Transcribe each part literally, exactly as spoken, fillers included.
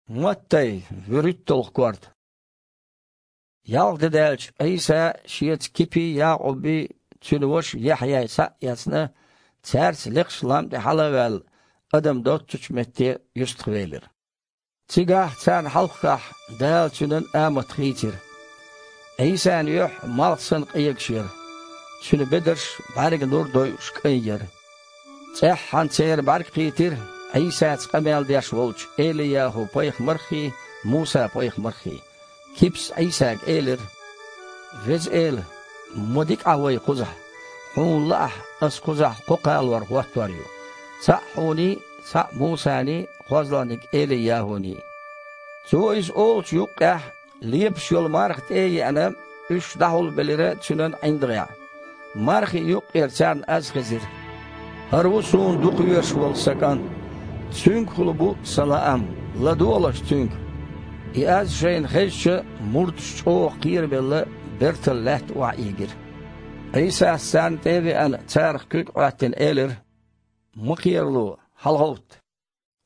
Маттай, вуьрхӀитталгӀа корта. Ялх де даьлча, Ӏийса шеца Кипий, Якъубий, цуьнан ваша Яхьъяй схьа а эцна, цаьрца лекхачу лам тӀе хьала а ваьлла, адам доццучу метте юьстахвелира. Цигахь царна хьалххахь Дала цуьнан амат хийцира. Ӏийсан юьхь малх санна къегаш яра. Цуьнан бедарш бӀаьрган нур дойуш кӀайн яра. ЦӀеххьана церан бӀаьрг кхийтира Ӏийсаца къамел деш волчу Эли-ЯхӀу-пайхамарххий, Муса-пайхамарххий. Кипас Ӏийсага элира: «Веза Эла, ма дика Ахь вай кхузахь. Хьуна лаахь, ас кхузахь кхо кхалор хӀоттор ю: цхьаъ хьуний, цхьаъ Мусаний, кхозлагӀниг Эли-ЯхӀуний». Цо иза олучу юккъехь, лепаш йолу марха тӀе а еана, уьш дӀахьулбелира цуьнан ӀиндагӀехь. Мархин юккъера царна аз хезира: «ХӀара ву суна дукхавезаш волу сан кӀант. Цуьнгахула бу сан лаам, ладогӀалаш Цуьнга». И аз шайна хезча, мурдаш чӀогӀа кхерабелла, бертал лаьтта охьаийгира. Ӏийсас царна тӀе а веана, царах куьг Ӏоьттина, элира: «Ма кхерало, хьалагӀовтта».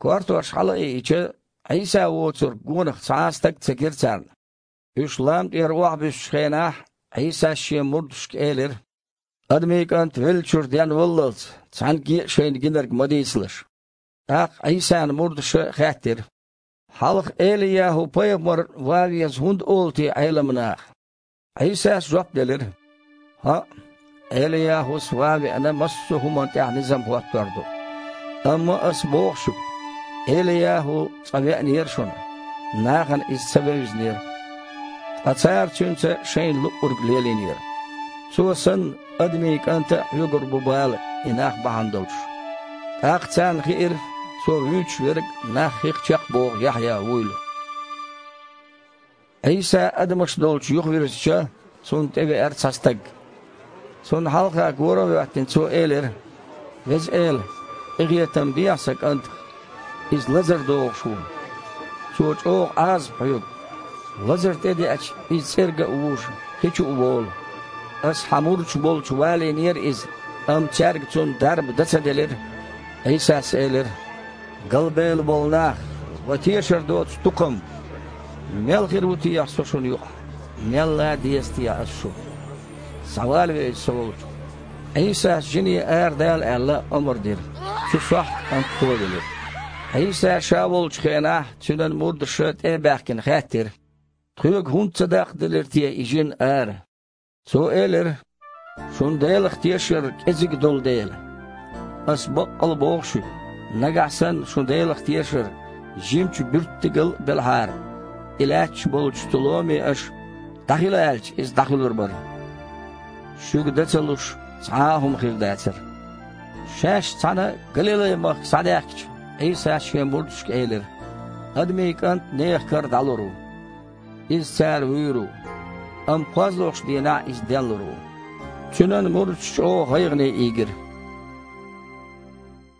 Кортош хьала а иъча, Ӏийса воцург гонах цхьа а стаг ца гира царна. Уьш лам тӀера охьабуьссучу хенахь, Ӏийсас шен мурдашка элира: «Адамийн КӀант веллачуьра денваллалц, цхьаьнгге а шайна гинарг ма дийцалаш». ТӀаккха Ӏийсан мурдаша хаьттира: «Хьалха Эли-ЯхӀу-пайхамар ван веза хӀунда олу те Ӏеламнаха?» Ӏийсас жоп делира: «ХӀаъ, Эли-ЯхӀус ван веана, массо а хӀуманна тӀехь низам хӀоттор ду. Амма Ас боху шуьга, Эли-ЯхӀу цкъа веанера шуна, нахана иза ца вевзинера. Ткъа цара цуьнца шайна луъург лелийнера. Цо санна, Адамийн КӀанта а хьоьгур бу бала и нах бахьана долуш». ТӀаккха царна хиира, Цо вуьйцуш верг нах хих чекхбоху Яхьъя вуйла. Ӏийса адамаш долчу юхавирзича, Цунна тӀевеара цхьа стаг. Цунна хьалха гора а хӀоьттина, цо элира: «Веза Эла, къинхетам бехьа сан кӀантах. Иза лазар догӀуш ву. Цо чӀогӀа Ӏазап хьоьгу. Лазар тӀедеача, иза цӀерга а вуш, хи чу а волу. Ас Хьан мурдаш болчу валийнера иза, амма цаьрга цунна дарба дан ца делира». Ӏийсас элира: «Галбевлла болу нах, ва тешар доцу тукхам! Мел хир ву техьа Со шуна юкъахь? Мелла а деза техьа Ас шу? Схьавалаве иза Со волчу». Ӏийсас жине арадала аьлла, омра дира. Цу сохьта кӀант товелира. Ӏийса Ша волчу хенахь, Цуьнан мурдаша тӀе а баьхкина, хаьттира: «Тхоьга хӀунда ца даккхаделира те и жин ара?» Цо элира: «Шун Делах тешар кӀезиг долу дела. Ас баккъалла боху шуьга, нагахь санна шун Делах тешар жимачу буьртигал а белахьара, и лаьтташ болчу цу ломе аша, дӀахила аьлча, иза дӀахуьлур бара. Шуьга дан ца луш, цхьа а хӀума хир дацара». Шаьш цхьаьна Галилай-махка схьадаьхкича, Ӏийсас Шен мурдашка элира: «Адамийн КӀант нехан кара дӀалур ву. Иза цара вуьйр ву, амма кхозлагӀчу дийнахь Иза денлур ву». Цуьнан мурдаш чӀогӀа гӀайгӀане ийгира.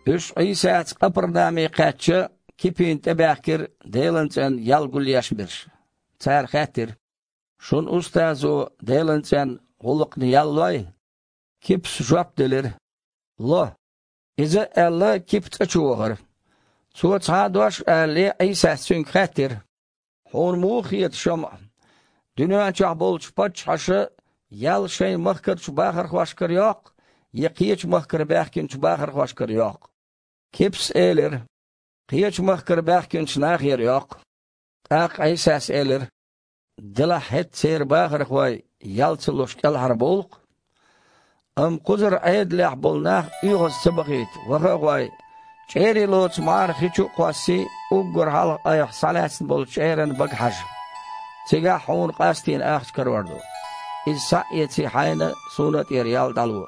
Уьш Ӏийсаца Къапарнауме кхаьчча, Кипина тӀебаьхкира Делан цӀенна ял гулъеш берш. Цара хаьттира: «Шун устазо Делан цӀенна гӀуллакхна ял лой?» Кипас жоп делира: «Ло». Иза а аьлла, Кипа цӀа чу вахара. Цо цхьа а дош а алале, Ӏийсас цуьнга хаьттира: «Хьуна муха хета, ШамӀа, дуьнен чохь болчу паччахьаша ял шайн махкарчу бахархошкара йоккху, я кхечу махкара баьхкинчу бахархошкара йоккху?» Кипас элира: «Кхечу махкара баьхкинчу нахера йоккху». ТӀаккха Ӏийсас элира: «Делахь хӀетахь церан бахархой ял ца луш кӀелхьарбовлу-кх. Амма кхузара Ӏедалехь болу нах оьгӀаз ца бахийта, ваха а гӀой, чӀерий лоцу мӀара хи чу а кхоссий, уггар хьалха айхьа схьалаьцна болчу чӀеран бага хьажа. Цигахь хьуна къастийна ахча карор ду. Иза схьа а эций хьайна, Суна а тӀера ял дӀало».